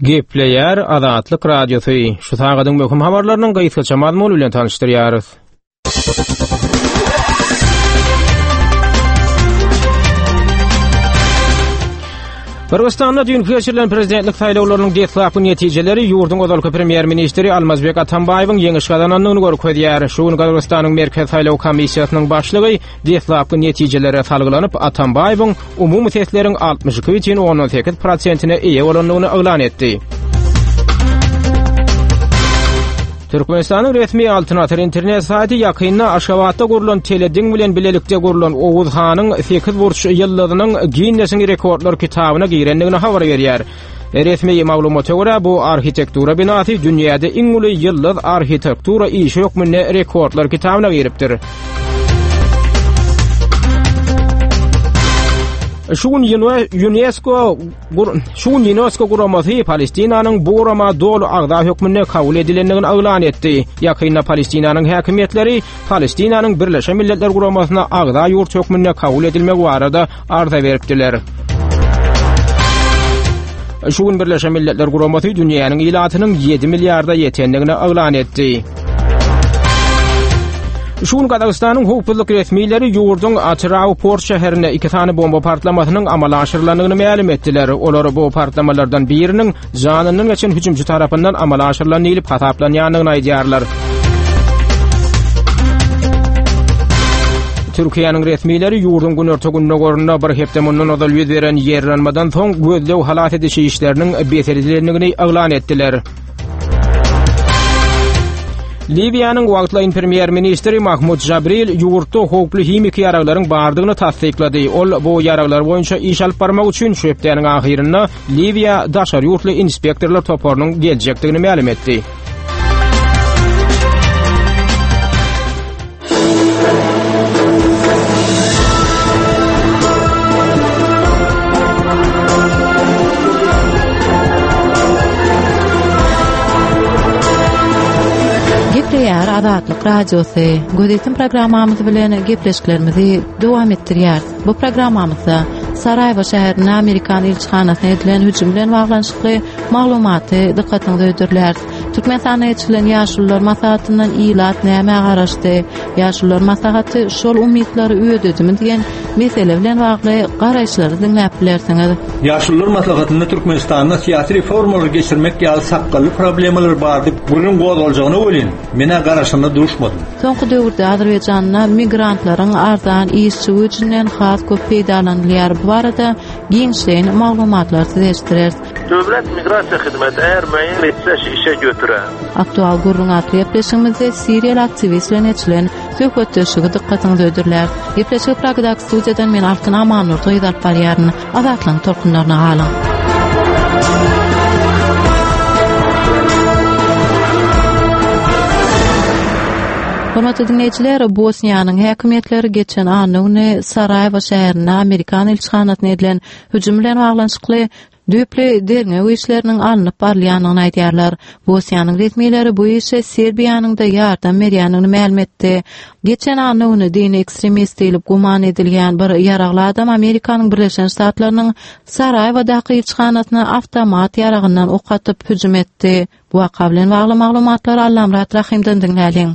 Gepleýär Azatlyk Radiosy. Şu sagadyň möhüm habarlarynyň gysgaça mazmuny bilen tanyşdyrýarys. Gyrgyzystanda düýnki geçirilen prezidentlik saýlawlarynyň deslapky netijeleri ýurduň ozalky premýer-ministri Almazbek Atambaýewiň ýeňiş gazanandygyny görkezýär. Şu gün Gyrgyzystanyň Merkezi saýlaw komissiýasynyň başlygy deslapky netijelere salgylanyp, Atambaýewiň umumy sesleriň 62,8 prosentine eýe bolandygyny yglan etdi. Türkmenistanyň resmi Altyn asyr internet saýty ýakynda Aşgabatda gurlan telediň bilen bilelikde gurlan Oguz hanyň sekizburç ýyldyzynyň Ginnesiň rekordlar kitabyna girendigini habar berýär. Resmi maglumata görä, bu arhitektura binasy dünýäde iň uly ýyldyz arhitektura işi hökmünde rekordlar kitabyna giripdir. Şu gün UNESCO şu gün UNESCO guramasy Palestinanyň bu gurama doly agza hökmünde kabul edilendigini yglan etdi. Ýakynda Palestinanyň häkimiýetleri Palestinanyň Birleşen Milletler Guramasyna agza ýurt hökmünde kabul edilmegi barada arza beripdiler. Şu gün Birleşen Milletler Guramasy dünýäniň ilatynyň 7 milliarda ýetendigini yglan etdi. Şu gün Gazagystanyň howpsuzlyk resmileri ýurduň Atyrau port şäherinde iki sany bomba partlamasynyň amala aşyrylandygyny mälim etdiler. Olar bu partlamalardan biriniň janyndan geçen hüjümçi tarapyndan amala aşyrylan diýlip hasaplanýandygyny aýdýarlar. Türkiýäniň resmileri ýurduň günorta-gündogarynda bir hepde mundan ozal ýüz beren ýerlenmeden soň gözleg-halas ediş işleriniň bes edilendigini yglan etdiler. Liwiýanyň wagtlaýyn premýer-ministri Mahmud Jabril ýurtda howply himiki ýaraglaryň bardygyny tassyklady. Ol bu ýaraglar boýunça iş alyp barmak üçin şu hepdäniň ahyrynda Liwiýa daşary ýurtly inspektorlar toparynyň geljekdigini mälim etdi. Gepleýär Azatlyk Radiosy. Gözetim programmamyz bilen gepleşiklerimizi dowam etdirýäris. Bu programmamyzda Saraýewo şäherinde Amerikan ilçihanasyna edilen hüjüm bilen baglanyşykly maglumaty dykgatyňyza hödürläris. Türkmenistanda geçirilen Ýaşulular maslahatyndan ilat nämä garaşdy? Ýaşulular maslahaty şol umytlary ödedimi diýen mesele bilen bagly garaýyşlary diňläp bilersiňiz. Ýaşulular maslahatynda Türkmenistanda syýasy reformalary geçirmek ýaly sakgally problemalar bardy gürrüň gozgaljagyna welin, men-ä garaşanda duşmadym. Soňky döwürde Azerbaýjanda migrantlaryň arzan işçi güýjünden has köp peýdalanylýar. Bu barada giňişleýin maglumatlary size eşitdireris. Döwlet migrasiýa hyzmaty eğer müeyyen etse işe götürer. Aktual gürrüň atly gepleşigimizde siriýaly aktiwist bilen geçirilen söhbetdeşligi dykgatyňyza hödürläris. Gepleşigi Pragadaky studiýadan men Altyn Amannurdy gyz alyp barýaryn. Azatlygyň tolkunlaryna galyň. Hormatly diňleýjiler, Bosniýanyň häkimiýetleri geçen anna güni Saraýewo şäherinde amerikan ilçihanasyna edilen hüjüm bilen baglanyşykly düýpli derňew işleriniň alnyp barylýandygyny aýdýarlar. Bosniýanyň resmileri bu işe Serbiýanyň-da ýardam berýändigini mälim etdi. Geçen anna güni dini ekstremist diýlip güman edilýän bir ýaragly adam Amerikanyň Birleşen Ştatlarynyň Saraýewadaky ilçihanasyna awtomat ýaragyndan ok atyp hüjüm etdi. Bu waka bilen bagly maglumatlary Allamyrat Rahymdan diňläliň.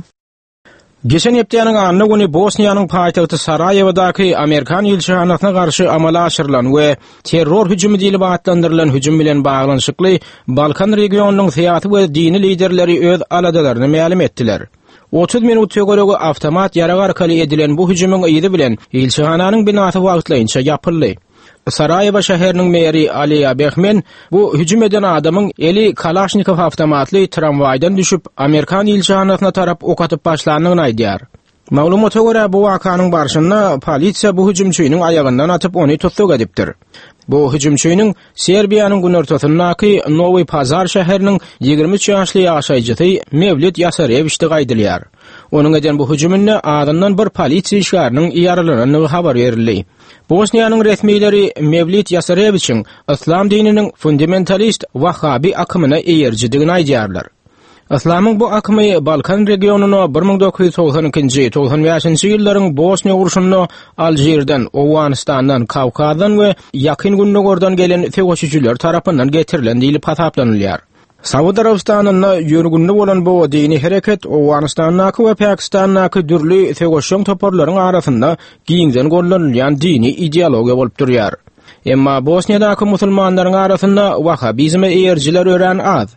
Geçen hepdäniň anna güni Bosniýanyň paýtagty Saraýewodaky amerikan ilçihanasyna garşy amala aşyrylan we terror hüjümi diýlip atlandyrylan hüjüm bilen baglanyşykly Balkan regionynyň syýasy we dini liderleri öz aladalaryny mälim etdiler. 30 minut töweregi awtomat ýarag arkaly edilen bu hüjümiň yzy bilen ilçihananyň binasy wagtlaýynça ýapyldy. Saraýewo şäheriniň meri Aliýa Behmen bu hüjüm eden adamyň eli Kalaşnikow awtomatly tramwaýdan düşüp, amerikan ilçihanasyna tarap ok atyp başlandygyny aýdýar. Maglumata görä, bu wakanyň barşynda polisiýa bu hüjümçiniň aýagyndan atyp, ony tussag edipdir. Bu hüjümçiniň Serbiýanyň günortasyndaky Nowi Pazar şäheriniň 23 ýaşly ýaşaýjysy Mewlid Ýasarewiçdigi aýdylýar. Onuň eden bu hüjüminde azyndan bir polisiýa işgäriniň ýaralanandygy habar berildi. Bosniýanyň resmileri Mewlid Ýasarewiçiň yslam dininiň fundamentalist wahhabi akymyna eýerijidigini aýdýarlar. Yslamyň bu akymy Balkan regionyna 1992-nji, 95-nji ýyllaryň Bosniýa urşunda Alžirden, Owganystandan, Kawkazdan we Ýakyn Gündogardan gelen söweşijiler tarapyndan getirilen diýlip hasaplanylýar. Saud Arabystanynda ýörgünli bolan bu dini hereket Owganystandaky we Pakistandaky dürli söweşjeň toparlaryň arasynda giňden gollanylýan dini ideologiýa bolup durýar. Emma Bosniýadaky musulmanlaryň arasynda wahhabizme eýerijiler örän az.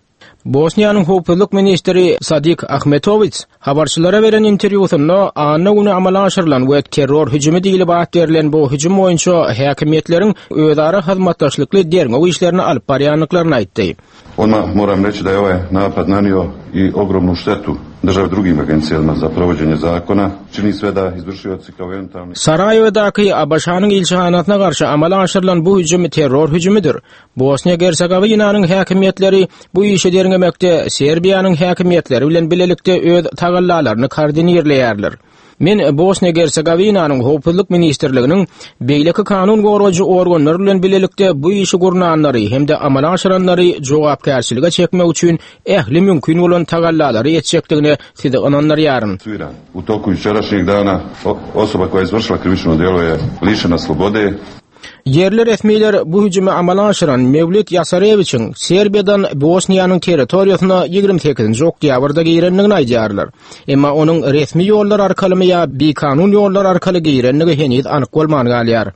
Bosniýanyň howpsuzlyk ministri Sadik Ahmetowiç habarçylara beren interwýusynda anna güni amala aşyrylan we terror hüjümi diýlip at berlen bu hüjüm boýunça häkimiýetleriň özara hyzmatdaşlykly derňew işlerini alyp barýandyklaryny aýtdy. Odmah moram reći da je ovaj napad nanio i ogromnu štetu državi drugim agencijama za provođenje zakona, čini sve da izvršioci kao eventualni... Saraýewadaky ABŞ-nyň ilçihanasyna garşy amala aşyrylan bu hüjüm terror hüjümidir. Bosniýa-Gersegowinanyň häkimiýetleri bu işi derňemekde Serbiýanyň häkimiýetleri bilen bilelikde öz tagallalaryny koordinirleýärler. Men Bosniýa-Gersegowinanyň Howpsuzlyk ministrliginiň beýleki kanun goraýjy organlar bilen bilelikde bu işi gurnanlary hem-de amala aşyranlary jogapkärçilige çekmek üçin ähli mümkin bolan tagallalary etjekdigine sizi ynandyrýaryn. U toku jučerašnjeg dana osoba koja je izvršila krivično djelo je lišena slobode. Ýerli resmiler bu hüjümi amala aşyran Mewlüt Ýasarewiçiň Serbiýadan Bosniýanyň territoriýasyna 28-nji oktýabrda girendigini aýdýarlar. Emma onuň resmi ýollar arkalymy ýa bikanun ýollar arkaly girendigi heniz anyk bolman galýar.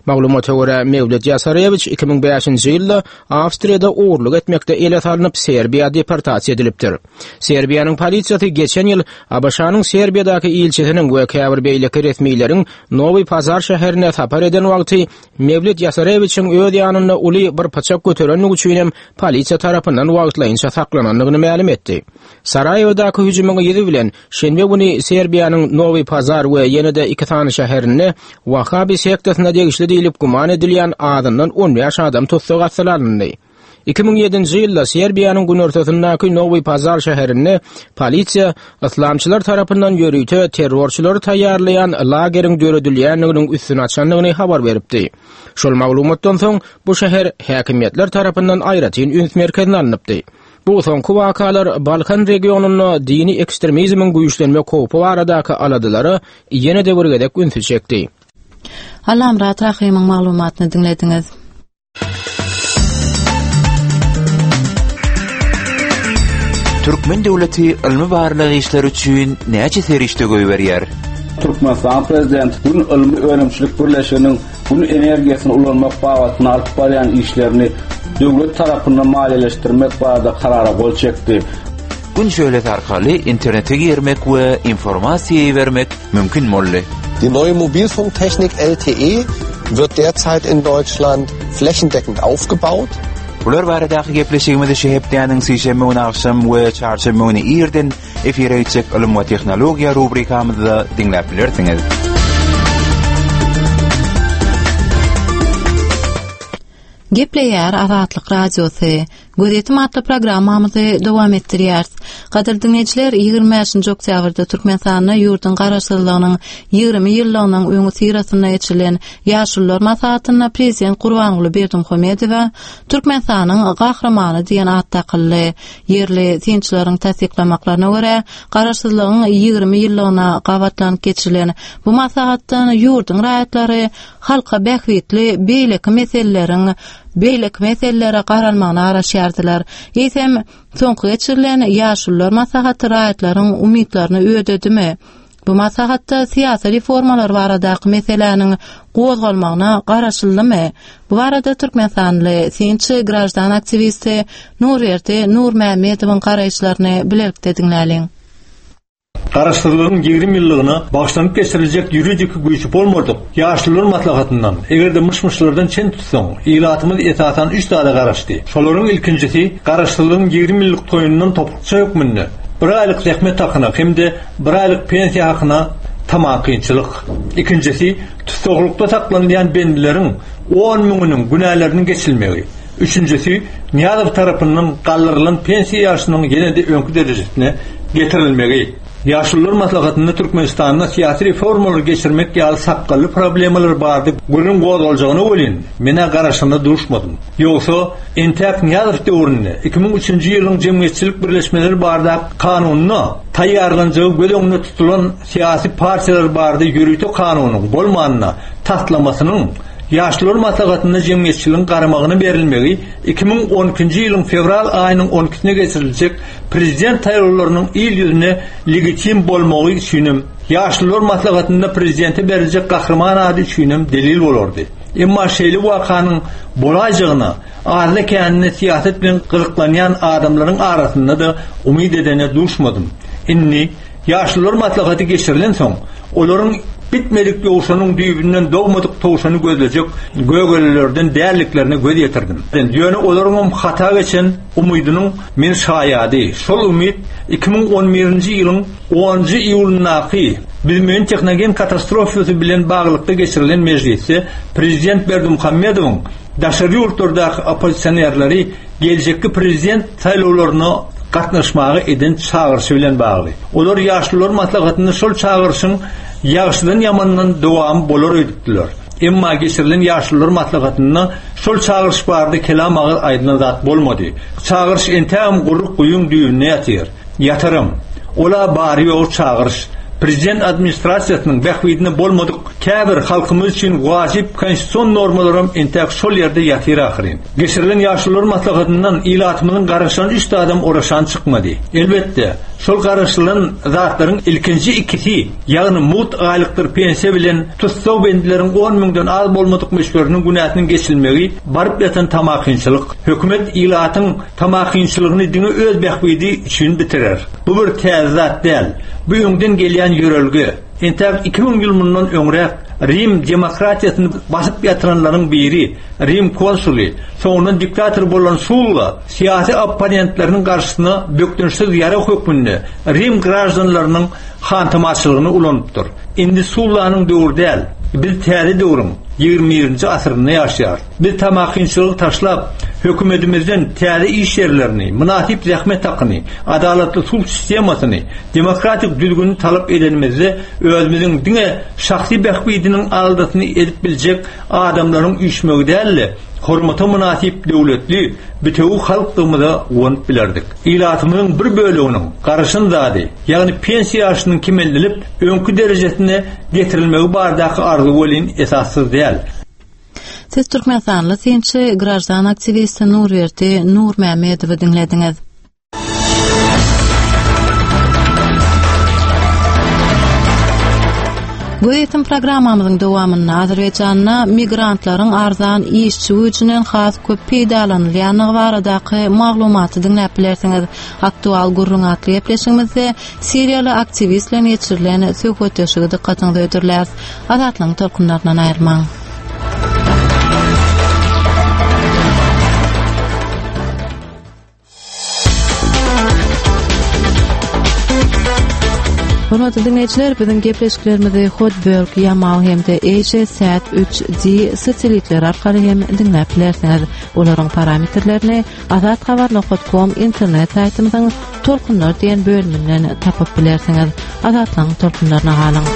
Maglumata görä, Mewlüt Ýasarewiç 2005-nji ýylda Awstriýada ogurlyk etmekde ele salnyp, Serbiýa deportasiýa edilipdir. Serbiýanyň polisiýasy geçen ýyl ABŞ-nyň Serbiýadaky ilçisiniň we käbir beýleki resmileriň Nowi Pazar şäherine sapar eden wagty Mewlid Ýasarewiçiň öz ýanynda uly bir pyçak göterendigi üçin hem polisiýa tarapyndan wagtlaýynça saklanandygyny mälim etdi. Saraýewadaky hüjümiň yzy bilen şenbe güni Serbiýanyň Nowi Pazar we ýene-de iki sany şäherinde Wahhabi sektasyna degişli diýlip güman edilýän azyndan 15 adam tussag astyna alyndy. 2007-nji ýylda Serbiýanyň günortasyndaky Nowi Pazar şäherinde polisiýa yslamçylar tarapyndan ýörite terrorçylary taýýarlaýan lageriň döredilýändiginiň üstüni açandygyny habar beripdi. Şol maglumatdan soň bu şäher häkimiýetler tarapyndan aýratyn üns merkezine alnypdy. Bu soňky wakalar Balkan regionynda dini ekstremizmiň güýçlenmek howpy baradaky aladalara ýene-de bir gezek ünsi çekdi. Allamyrat Rahymyň maglumatyny diňlediňiz. Türkmen döwleti ylmy-barlag işleri üçin näçe serişde goýberýär? Türkmenistanyň Prezidenti Gün ylmy-önümçilik birleşiginiň Gün energiýasyny ulanmak babatynda alyp barýan işlerini döwlet tarapyndan maliýeleşdirmek barada Karara gol çekdi. Gün şöhlesi arkaly internete girmek we informasiýa ibermek mümkin boldy. Die neue Mobilfunktechnik LTE wird derzeit in Deutschland flächendeckend aufgebaut. Bular baradaky gepleşigimizi şu hepdäniň sişenbe güni agşam we çarşenbe güni irden efire gitjek Ylym we tehnologiýa rubrikamyzda diňläp bilersiňiz. Gepleýär Azatlyk Radiosy. Gözýetim atly programmamyzy dowam etdirýäris. Gadyrly diňleýjiler, 25-nji oktýabrda Türkmenistanda ýurduň Garaşsyzlygynyň 20 ýyllygynyň öňüsyrasynda geçirilen Ýaşulular maslahatynda Prezident Gurbanguly Berdimuhamedowa Türkmenistanyň Gahrymany diýen at dakyldy. Ýerli synçylaryň tassyklamaklaryna görä, Garaşsyzlygyň 20 ýyllygyna gabatlanyp geçirilen bu maslahatdan ýurduň raýatlary halka bähbitli beýleki meseleleriň beýleki meselelere garalmagyna garaşýardylar. Eýsem, soňky geçirilen Ýaşulular maslahaty raýatlaryň umytlaryny ödedimi? Bu maslahatda syýasy reformalar baradaky meseläniň gozgalmagyna garaşyldymy? Bu barada türkmenistanly synçy, graždan aktiwisti Nurberdi Nurmämmedowyň garaýyşlaryny bilelikde diňläliň. Garaşsyzlygyň 20 ýyllygyna bagyşlanyp geçiriljek ýuridiki güýji bolmadyk Ýaşulular maslahatyndan, eger-de myş-myşlardan çen tutsaň, ilatymyz esasan üç zada garaşdy. Şolaryň ilkinjisi, Garaşsyzlygyň 20 ýyllyk toýundan topukça hökmünde bir aýlyk zähmet hakyna hem-de bir aýlyk pensiýa hakyna tamakinçilik. Ikinjisi, tussaglykda saklanylýan bendileriň on müňüniň günäleriniň geçilmegi. Üçünjisi, Nyýazow tarapyndan galdyrylan pensiýa ýaşynyň ýene-de öňki derejesine getirilmegi. Ýaşulular maslahatynda Türkmenistanda syýasy reformalary geçirmek ýaly sakgally problemalar barada gürrüň gozgaljagyna welin, men-ä garaşanda duşmadym. Ýogsa, entäk Nyýazow döwründe 2003-nji ýylyň Jemgyýetçilik birleşmeleri baradaky kanunynda taýýarlanjagy göz öňünde tutulan syýasy partiýalar barada ýörite kanunyň, bolmanda, taslamasynyň Ýaşulular maslahatynda jemgyýetçiligiň garamagyna berilmegi 2012-nji ýylyň fewral aýynyň on ikisine geçiriljek prezident saýlawlarynyň il ýüzüne legitim bolmagy üçinem, Ýaşulular maslahatynda prezidente beriljek gahryman ady üçinem delil bolardy. Emma şeýle wakanyň bolaýjagyna azda-kände syýasat bilen gyzyklanýan adamlaryň arasynda-da umyt edene duşmadym. Indi, Ýaşulular maslahaty geçirilensoň, olaryň bitmedik ýowşanyň düýbünden dogmadyk towşany gözlejek gögelelerden däldiklerine göz ýetirdim. Ýöne olaryňam hata geçen umydynyň men şaýady. Şol umyt 2011-nji ýylyň onunjy iýulyndaky Büzmeýin tehnogen katastrofasy bilen baglylykda geçirilen mejlisde prezident Berdimuhamedowyň daşary ýurtlardaky oppozisionerleri geljekki prezident saýlawlaryna gatnaşmaga eden çagyryşy bilen bagly. Olar Ýaşulular maslahatynda şol çagyryşyň ýagşydan-ýamandan dowamy bolar öýdüpdiler. Emma geçirilen Ýaşulular maslahatynda şol çagyryş barada kelam agyz aýdylan zat bolmady. Çagyryş entägem guryk guýyň düýbünde ýatyr. Ýataram. Ol-a bary-ýogy çagyryş. Prezident administrasiýasynyň bähbidine bolmadyk käbir halkymyz üçin wajyp konstitusion normalaram entäk şol ýerde ýatyr ahyryn. Geçirilen Ýaşulular maslahatyndan ilatymyzyň garaşan üç zadam oraşan çykmady. Elbetde, şol garaşylan zatlaryň ilkinji ikisi, ýagny mugt aýlykdyr pensiýa bilen tussag bendileriň on müňden az bolmadyk möçberiniň günäsiniň geçilmegi baryp ýatan tamakinçilik. Hökümet ilatyň tamakinçiligini diňe öz bähbidi üçin bitirer. Bu bir täze zat däl. Bu öňden gelýän ýörelge. Entäk 2000 ýyl mundan öňräk Rim demokratiýasyny basyp ýatyranlaryň biri, Rim konsuly, soňundan diktator bolan Sulla syýasy opponentleriniň garşysyna bökdençsiz ýarag hökmünde Rim graždanlarynyň hantamaçylygyny ulanypdyr. Indi Sullanyň döwri däl, biz täze döwrüň, ýigrimi birinji asyrynda ýaşaýarys. Biz tamakinçiligi taşlap, hökümetimizden täze iş ýerlerini, mynasyp zähmet hakyny, adalatly sud sistemasyny, demokratik düzgüni talap edenimizde özümiziň diňe şahsy bähbidiniň aladasyny edip biljek adamlaryň üýşmegi däl-de, hormata mynasyp döwletli, bitewi halkdygymyza guwanyp bilerdik. Ilatymyzyň bir böleginiň garaşan zady, ýagny pensiýa ýaşynyň kemeldilip, öňki derejesine getirilmegi baradaky arzuwy welin esassyz däl. Siz türkmenistanly synçy, graždan aktiwisti Nurberdi Nurmämmedowy diňlediňiz. Gözýetim programmamyzyň dowamynda Azerbaýjanda migrantlaryň arzan işçi güýjünden has köp peýdalanylýandygy baradaky maglumaty diňläp bilersiňiz. Aktual gürrüň atly gepleşigimizde siriýaly aktiwist bilen geçirilen söhbetdeşligi dykgatyňyza hödürläris. Azatlygyň tolkunlaryndan aýrylmaň. Hormatly diňleýjiler, biziň gepleşiklerimizi Hotbird, Yamal hem-de AsiaSat 3D satelitleri arkaly hem diňläp bilersiňiz. Olaryň parametrlerini azathabar.com internet saýtymyzyň Tolkunlar diýen bölüminden tapyp bilersiňiz. Azatlygyň tolkunlaryna galyň.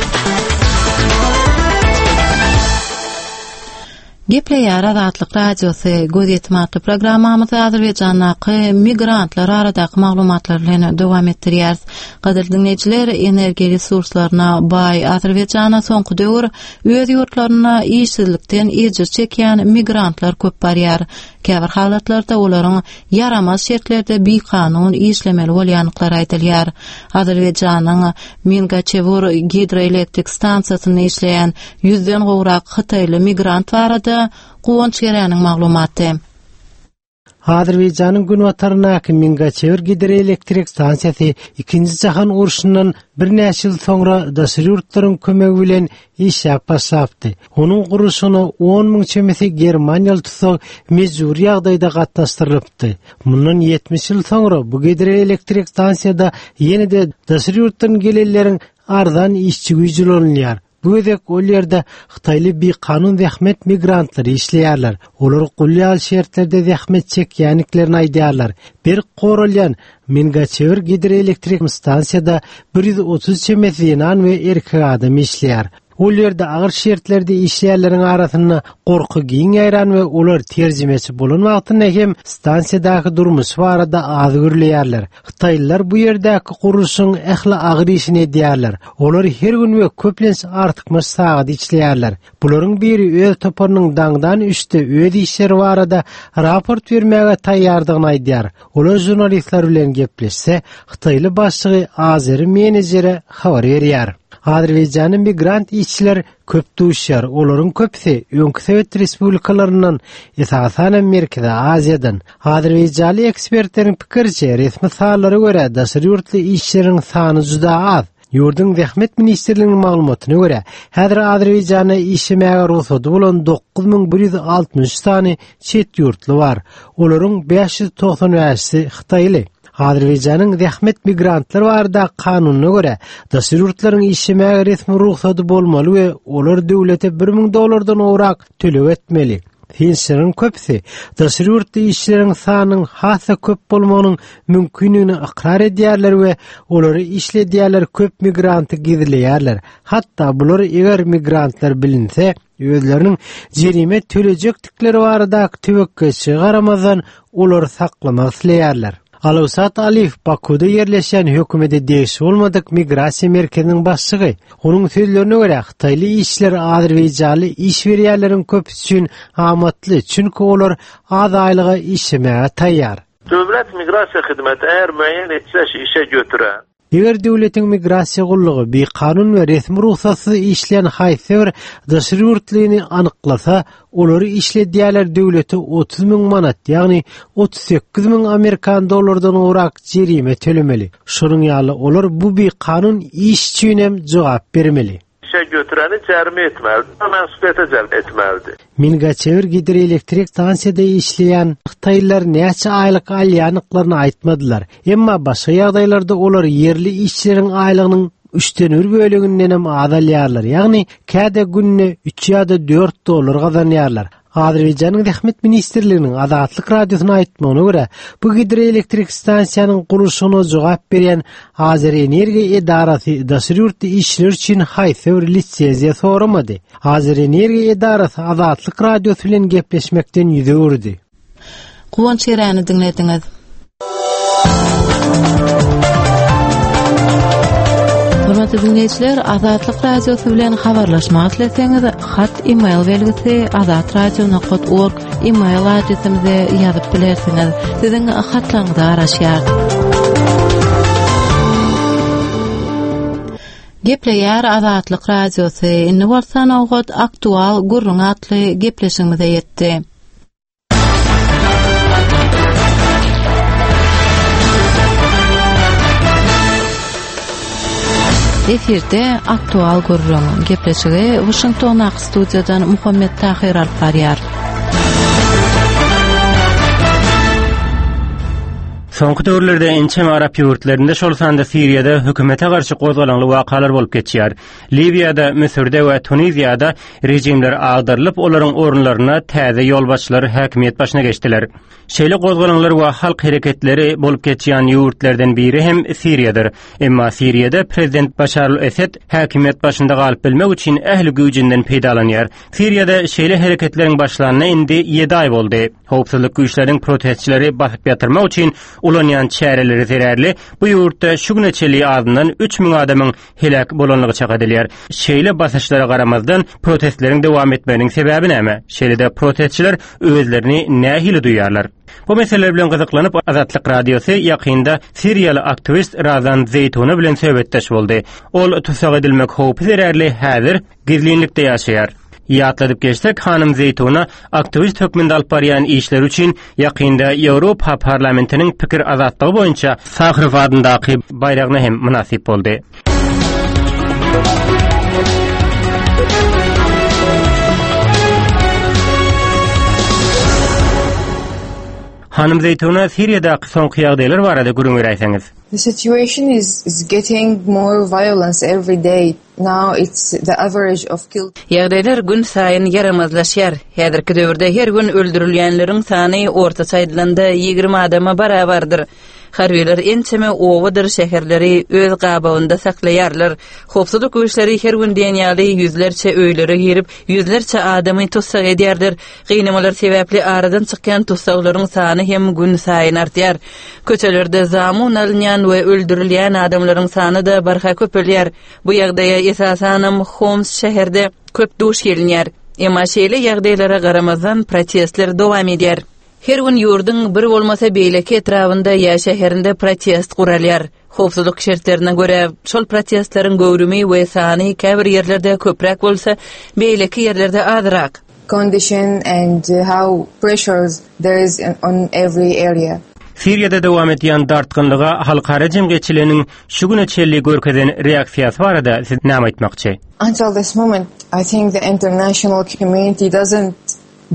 Gepleýär Azatlyk Radiosy, Gözýetim atly programmamyzy Azerbaýjandaky migrantlar baradaky maglumatlar bilen dowam etdirýäris. Gadyrly diňleýjiler, energiýa resurslaryna baý Azerbaýjana soňky döwür öz ýurtlarynda işsizlikden ejir çekýän migrantlar köp barýar. Käbir halatlarda olaryň ýaramaz şertlerde bikanun işlemeli bolýandyklary aýdylýar. Azerbaýjanyň Mingaçewur gidroelektrik stansiýasynda işleýän ýüzden gowrak hytaýly migrant barada Guwanç Geräniň maglumaty. Azerbaýjanyň günbataryndaky Mingaçewir gidroelektrik stansiýasy Ikinji jahan urşundan birnäçe ýyl soňra daşary ýurtlaryň kömegi bilen işläp başlapdy. Onuň gurluşygyna on müň çemesi germaniýaly tussag mejbury ýagdaýda gatnaşdyrylypdy. Mundan 70 ýyl soňra bu gidroelektrik stansiýada ýene-de daşary ýurtdan gelenleriň arzan işçi güýji ulanylýar. Bu gezek ol ýerde hytaýly bikanun zähmet migrantlary işleýärler. Olar gul ýaly şertlerde zähmet çekýändiklerini aýdýarlar. Berk goralýan Mingaçewir gidroelektrik stansiýada 130 çemesi zenan we erkek adam işleýär. Ol ýerde agyr şertlerde işleýänleriň arasynda gorky giň ýaýran we olar terjimeçi bolan wagtynda hem stansiýadaky durmuş barada az gürleýärler. Hytaýlylar bu ýerdäki gurluşygyň ähli agyr işini edýärler. Olar her gün we köplenç artykmaç sagat işleýärler. Bularyň biri öz toparynyň daňdan üçde öz işleri barada raport bermäge taýýardygyny aýdýar. Olar žurnalistler bilen gepleşse, hytaýly başlygy azeri menejere habar berýär. Azerbaýjanda migrant işçiler köp duşýar. Olaryň köpüsi öňki sowet respublikalaryndan, esasan hem Merkezi Aziýadan. Azerbaýjanly ekspertleriň pikiriçe, resmi sanlara görä, daşary ýurtly işçileriň sany juda az. Ýurduň Zähmet ministrliginiň maglumatyna görä, häzir Azerbaýjanda işlemäge rugsady bolan 9163 sany çet ýurtly bar. Olaryň 595-si hytaýly. Azerbaýjanyň zähmet migrantlar barada kanunyna görä, daşary ýurtlaryň işlemäge resmi rugsady bolmaly we olar döwlete 1000 dollardan gowrak töleg etmeli. Synçylaryň köpüsi daşary ýurtly işçileriň sanynyň has-da köp bolmagynyň mümkindigini ykrar edýärler we olary işledýärler köp migranty gizleýärler. Hatda bular eger migrantlar bilinse, özleriniň jerime tölejekdikleri baradaky töwekgelçilige garamazdan olary saklamak isleýärler. Alawsat Aliýew Bakuda ýerleşýän hökümete degişli bolmadyk migrasiýa merkeziniň başlygy. Onuň sözlerine görä, hytaýly işçiler azerbaýjanly iş berýänleriň köpüsi üçin amatly, çünki olar az aýlyga işlemäge taýýar. Döwlet migrasiýa hyzmaty eger müeýyen etse şu işe götüren. Eger döwletiň migrasiýa gullugy bikanun we resmi rugsatsyz işleýän haýsy bir daşary ýurtlyny anyklasa, olary işledýärler döwlete 30 müň manat, ýagny 38 müň amerikan dollardan gowrak jerime tölemeli. Şonuň ýaly olar bu bikanun iş üçin hem jogap bermeli. İşe götüreni jerime etmeli, mes'uliýete celp etmelidi. Mingaçewir gidroelektrik stansiýada işleýän hytaýlylar näçe aýlyk alýandyklaryny aýtmadylar. Emma başga ýagdaýlarda olar ýerli işçileriň aýlygynyň üçden bir bölegindenem az alýarlar, ýagny käde günde üç ýa-da dört dollar gazanýarlar. Azerbaýjanyň Zähmet ministrliginiň Azatlyk Radiosyna aýtmagyna görä, bu gidroelektrik stansiýanyň gurluşygyna jogap berýän Azerenergiýa edarasy daşary ýurtly işçiler üçin haýsy bir lisenziýa soramady. Azerenergiýa edarasy Azatlyk Radiosy bilen gepleşmekden ýüz öwürdi. Guwanç Eräni diňlediňiz. Hormatly diňleýjiler, Azatlyk Radiosy bilen habarlaşmak isleseňiz, hat e-mail belgisi azatradio.org e-mail adresimize ýazyp bilersiňiz. Siziň hatlaryňyza garaşýarys. Gepleýär Azatlyk Radiosy. Indi bolsa nobat Aktual gürrüň atly gepleşigimize ýetdi. Efirde aktual gürrüň. Gepleşigi Washingtondaky studiýadan Muhammet Tahyr alyp barýar. Soňky döwürlerde ençeme arap ýurtlarynda, şol sanda Siriýada hökümete garşy gozgalaňly wakalar bolup geçýär. Liwiýada, Müsürde we Tuniziýada režimler agdarylyp, olaryň orunlaryna täze ýolbaşçylar häkimiýet başyna geçdiler. Şeýle gozgalaňlar we halk hereketleri bolup geçýän ýurtlardan biri hem Siriýadyr. Emma Siriýada prezident Başar al-Esed häkimiýet başynda galyp bilmek üçin ähli güýjünden peýdalanýar. Siriýada şeýle hereketleriň başlanyna indi ýedi aý boldy. Howpsuzlyk güýçleriniň protestçileri basyp ýatyrmak üçin ulanýan çäreleri zerarly bu ýurtda şu güne çenli azyndan 3000 adamyň heläk bolanlygy çak edilýär. Şeýle basyşlara garamazdan, protestleriň dowam etmeginiň sebäbi näme? Şeýle-de protestçiler özlerini nähili duýýarlar? Bu meseleler bilen gyzyklanyp, Azatlyk Radiosy ýakynda siriýaly aktiwist Razan Zeýtuna bilen söhbetdeş boldy. Ol tussag edilmek howpy zerarly häzir gizlinlikde ýaşaýar. Ýatladyp geçsek, hanym Zeýtuna aktiwist hökmünde alyp barýan işleri üçin ýakynda Ýewropa Parlamentiniň pikir azatlygy boýunça Saharow adyndaky baýragyna hem mynasyp boldy. Hanym Zeýtuna, Siriýadaky soňky ýagdaýlar barada gürrüň beräýseňiz. The situation is is getting more violence every day. Now it's the average of killed. Ýagdaýlar gün saýyn ýaramazlaşýar. Häzirki döwürde her gün öldürilýänleriň sany ortaça aýdylanda 20 adama barabardyr. Harbylar ençeme obadyr şäherleri öz gabawynda saklaýarlar. Howpsuzlyk güýçleri her gün diýen ýaly ýüzlerçe öýlere girip, ýüzlerçe adamy tussag edýärler. Gynamalar sebäpli aradan çykýan tussaglaryň sany hem günsaýyn artýar. Köçelerde zamun alynýan we öldürilýän adamlaryň sany-da barha köpelýär. Bu ýagdaýa esasanam Homs şäherde köp duş gelinýär. Emma şeýle ýagdaýlara garamazdan protestler dowam edýär. Her gün ýurduň bir bolmasa beýleki etrabynda ýa şäherinde protest guralýar. Howpsuzlyk şertlerine görä, şol protestleriň göwrümi we sany käbir ýerlerde köpräk bolsa, beýleki ýerlerde azrak. Condition and how pressures there is on every area. Siriýada dowam edýän dartgynlyga halkara jemgyýetçiliginiň şu güne çenli görkezen reaksiýasy barada siz näme aýtmakçy? Until this moment, I think the international community doesn't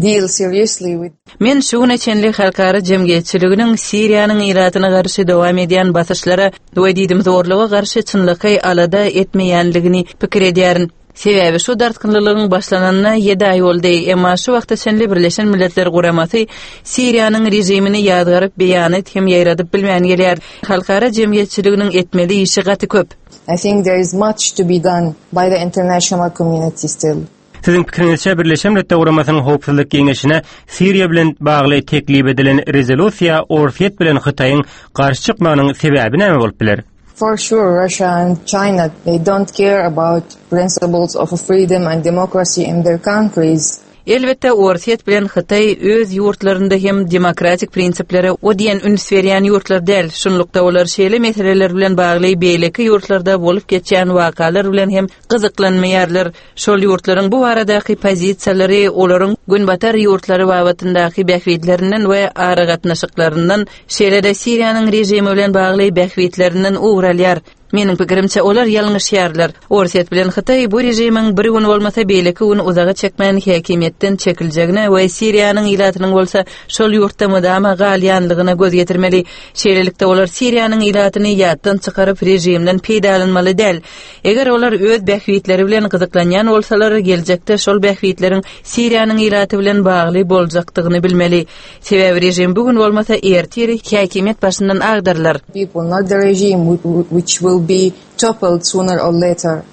deal seriously with. Men şu güne çenli halkara jemgyýetçiliginiň Siriýanyň ilatyna garşy dowam edýän basyşlara we diýdimzorluga garşy çynlakaý alada etmeýänligini pikir edýärin. Sebäbi şu dartgynlylygyň başlananyna ýedi aý boldy, emma şu wagta çenli Birleşen Milletler Guramasy Siriýanyň režimini ýazgaryp beýanat hem ýaýradyp bilmän gelýär. Halkara jemgyýetçiliginiň etmeli işi gaty köp. I think there is much to be done by the international community still. Siziň pikiriňizçe, Birleşen Milletler Guramasynyň Howpsuzlyk Geňeşine Siriýa bilen bagly teklip edilen rezolýusiýa Orsýet bilen Hytaýyň garşy çykmagynyň sebäbi näme bolup biler? For sure Russia and China they don't care about principles of freedom and democracy in their countries. Elbetde, Orsýet bilen Hytaý öz ýurtlarynda hem demokratik prinsiplere o diýen üns berýän ýurtlar däl. Şunlukda olar şeýle meseleler bilen bagly beýleki ýurtlarda bolup geçýän wakalar bilen hem gyzyklanmaýarlar. Şol ýurtlaryň bu baradaky pozisiýalary olaryň Günbatar ýurtlary babatyndaky bähbitlerinden we aragatnaşyklaryndan, şeýle-de Siriýanyň režimi bilen bagly bähbitlerinden ugur alýar. Meniň pikirimçe, olar ýalňyşýarlar. Orsýet bilen Hytaý bu režimiň bir gün bolmasa beýleki gün uzaga çekmän häkimiýetden çekiljegine we Siriýanyň ilatynyň bolsa şol ýurtda mydama galýanlygyna göz ýetirmeli. Şeýlelikde, olar Siriýanyň ilatyny ýatdan çykaryp režimden peýdalanmaly däl. Eger olar öz bähbitleri bilen gyzyklanýan bolsalar, geljekde şol bähbitleriň Siriýanyň ilaty bilen bagly boljakdygyny bilmeli. Sebäbi režim bu gün bolmasa ertir häkimiýet başyndan agdarylar. People, not the regime which will be toppled sooner or later.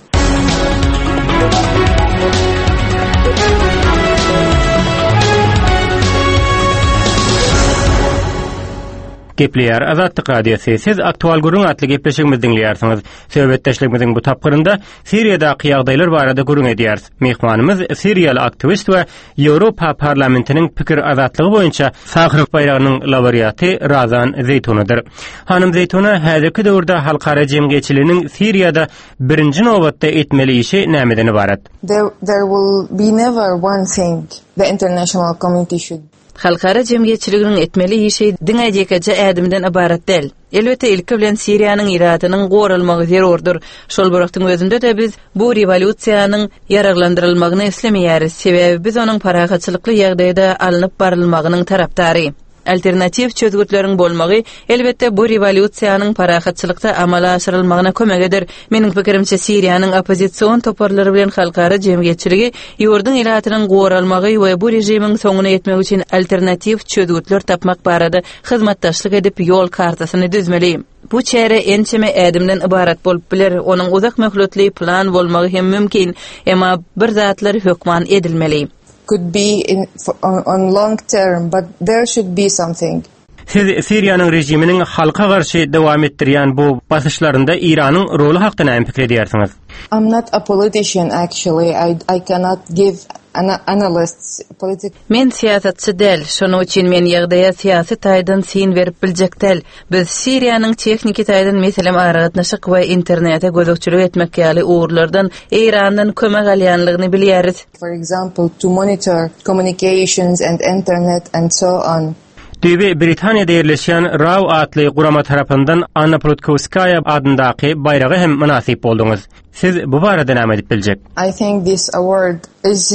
Gepleýär Azatlyk Radiosy. Siz Aktual gürrüň atly gepleşigimizi diňleýärsiňiz. Söhbetdeşligimiziň bu tapgyrynda Siriýadaky ýagdaýlar barada gürrüň edýäris. Myhmanymyz siriýaly aktiwist we Ýewropa Parlamentiniň pikir azatlygy boýunça Saharow baýragynyň laureaty Razan Zeýtunadyr. Hanym Zeýtuna, häzirki döwürde halkara jemgyýetçiliginiň Siriýada birinji nobatda etmeli işi nämeden ybarat? There, there will be never one thing the international community should. Halkara jemgyýetçiliginiň etmeli işi diňe ýekeje ädimden ybarat däl. Elbetde, ilki bilen Siriýanyň ilatynyň goralmagy zerurdyr. Şol bir wagtyň özünde-de biz bu rewolýusiýanyň ýaraglandyrylmagyny islemeýäris, sebäbi biz onuň parahatçylykly ýagdaýda alnyp barylmagynyň tarapdary. Alternatiw çözgütleriň bolmagy, elbetde, bu rewolýusiýanyň parahatçylykda amala aşyrylmagyna kömek eder. Meniň pikirimçe, Siriýanyň oppozision toparlary bilen halkara jemgyýetçiligi ýurduň ilatynyň goralmagy we bu režimiň soňuna ýetmegi üçin alternatiw çözgütler tapmak barada hyzmatdaşlyk edip, ýol kartasyny düzmeli. Bu çäre ençeme ädimden ybarat bolup biler, onuň uzak möhletli plan bolmagy hem mümkin, emma bir zatlar hökman edilmeli. Could be in on long term, but there should be something. Siz Siriýanyň režiminiň halka garşy dowam etdirýän bu basyşlarynda Eýranyň roly hakda näme pikir edýärsiňiz? I'm not a politician actually, I I cannot give an analyst's politic. Men syýasatçy däl, şonuň üçin men ýagdaýa syýasy taýdan syn berip biljek däl. Biz Siriýanyň tehniki taýdan meselem aragatnaşyk we internete gözegçilik etmek ýaly ugurlardan Eýrandan kömek alýanlygyny bilýäris. For example, to monitor communications and internet and so on. Düýbi Britaniýada ýerleşýän RAW atly gurama tarapyndan Anna Politkowskaýa adyndaky baýraga hem mynasyp bolduňyz. Siz bu barada näme aýdyp biljek? I think this award is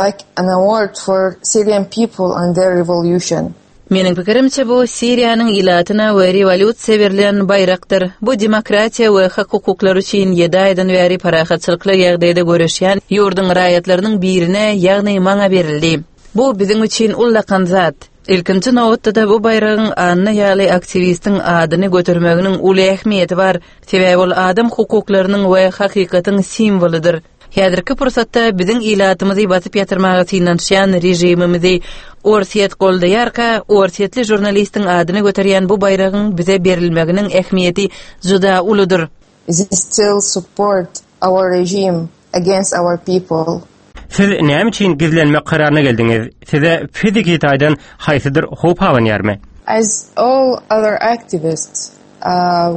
like an award for Syrian people and their revolution. Meniň pikirimçe, bu Siriýanyň ilatyna we rewolýusiýa berlen baýrakdyr. Bu demokratiýa we hak-hukuklar üçin ýedi aýdan bäri parahatçylykly ýagdaýda göreşýän ýurduň raýatlarynyň birine, ýagny maňa berildi. Bu biziň üçin ullakan zat. Ilkinji nobatda-da bu baýragyň Anna ýaly aktiwistiň adyny götermeginiň uly ähmiýeti bar, sebäbi ol adam hukuklarynyň we hakykatyň simwolydyr. Häzirki pursatda biziň ilatymyzy basyp ýatyrmaga synanyşýan režimimizi Orsýet goldaýarka, orsýetli žurnalistiň adyny göterýän bu baýragyň bize berilmeginiň ähmiýeti juda uludyr. They still support our regime against our people. Siz näme üçin gizlenmek kararyna geldiňiz? Size fiziki taýdan haýsydyr howp abanýarmy? As all other activists,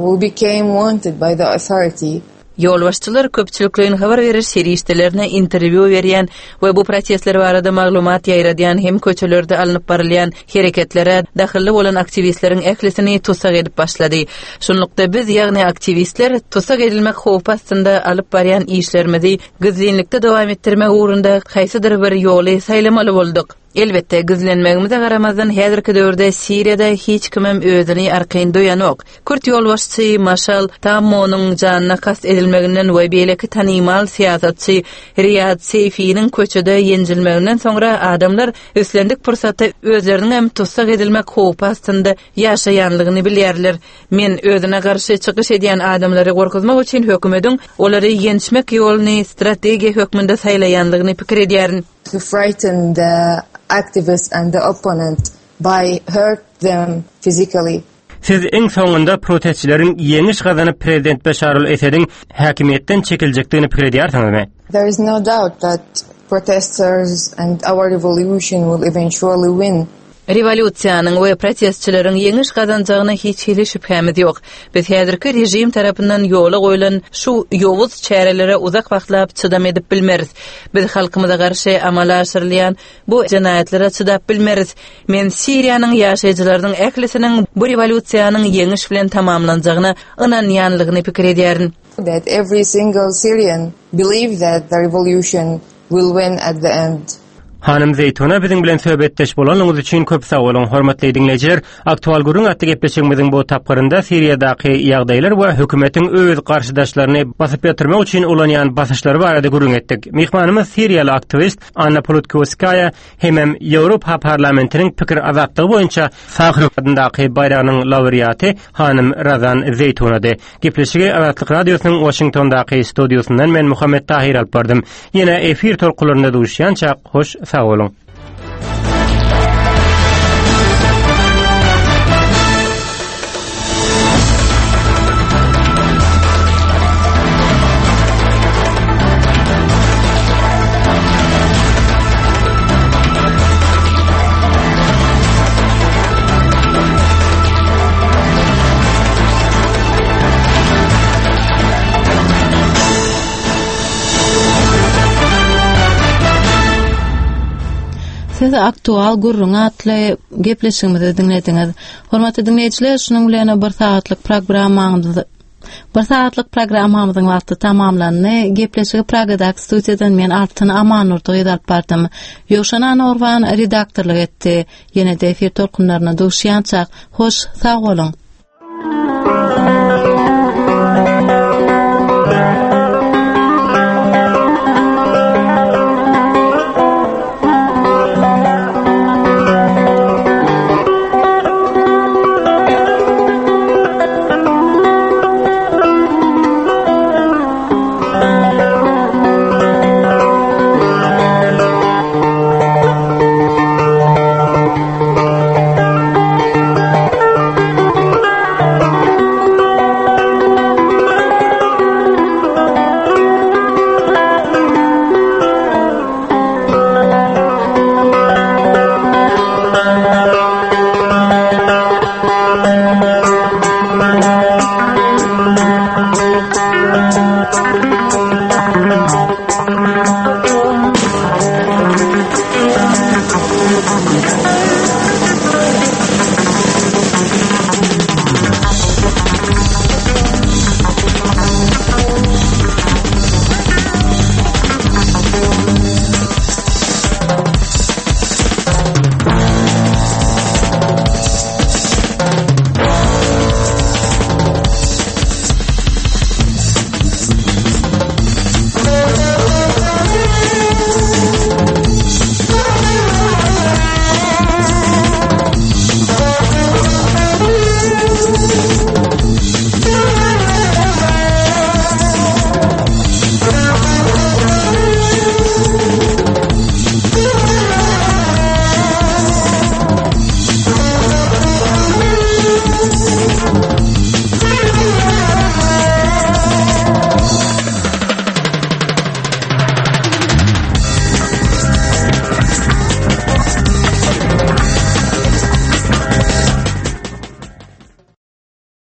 who became wanted by the authority. Ýolbaşçylar köpçülikleýin habar beriş serişdelerine interwýu berýän we bu protestler barada maglumat ýaýradýan hem köçelerde alnyp barylýan hereketlere dahylly bolan aktiwistleriň ählisini tussag edip başlady. Şunlukda biz, ýagny aktiwistler tussag edilmek howpy astynda alyp barýan işlerimizi gizlinlikde dowam etdirmek ugrunda haýsydyr bir ýoly saýlamaly bolduk. Elbetde, gizlenmegimize garamazdan, häzirki döwürde Siriýada hiç kimem özüni arkaýyn duýanok. Kürt ýolbaşçy Maşal Tammonyň janyna kast edilmeginden we beýleki tanymal syýasatçy Riýad Seýfiniň köçede ýenjilmeginden soňra adamlar islendik pursatda özleriniňem tussag edilmek howpy astynda ýaşaýanlygyny bilýärler. Men özüne garşy çykyş edýän adamlary gorkuzmak üçin hökümediň olary ýençmek ýoluny strategiýa hökmünde saýlaýanlygyny pikir edýärin. To frighten the activists and the opponent by hurt them physically. Siz iň soňunda protestçileriň ýeňiş gazanyp prezident Beşar al-Esediň häkimiýetden çekiljekdigini pikir edýärsiňizmi? There is no doubt that protesters and our revolution will eventually win. Rewolýusiýanyň we protestçileriň ýeňiş gazanjagyna hiç hili şübhämiz ýok. Biz häzirki režim tarapyndan ýola goýlan şu ýowuz çärelere uzak wagtlap çydam edip bilmeris. Biz halkymyza garşy amala aşyrylýan bu jenaýatlara çydap bilmeris. Men Siriýanyň ýaşaýjylarynyň ählisiniň bu rewolýusiýanyň ýeňiş bilen tamamlanjagyna ynanýanlygyny pikir edýärin. That every single Syrian believe that the revolution will win at the end. Hanym Zeýtuna biziň bilen söhbetdeş bolanyňyz üçin köp sag boluň. Hormatly diňleýjiler, Aktual gürrüň atly gepleşigimiziň bu tapgyrynda Siriýadaky ýagdaýlar we hökümetiň öz garşydaşlaryny basyp ýatyrmak üçin ulanýan basyşlary barada gürrüň etdik. Myhmanymyz siriýaly aktiwist Anna Politkovskaýa hemem Ýewropa Parlamentiniň pikir azatlygy boýunça Saharow adyndaky baýragynyň laureaty hanym Razan Zeýtunady. Gepleşigi Azatlyk Radiosynyň Waşingtondaky studiýasyndan men Muhammet Tahir alyp bardym. Ýene efir tolkunlarynda duşýançak, hoş sag boluň. Siz Aktual gürrüň atly gepleşigimizi diňlediňiz. Hormatly diňleýjiler, şunuň bilen bir sagatlyk programmamyz Bir sagatlyk programmamyzyň wagty tamamlandy. Gepleşigi Pragadaky studiýadan men Altyn Amannurdy gyz alyp bardym. Ýowşan Anagurban redaktorlyk etdi. Ýene-de efir tolkunlaryna duşýançak, hoş, sag boluň!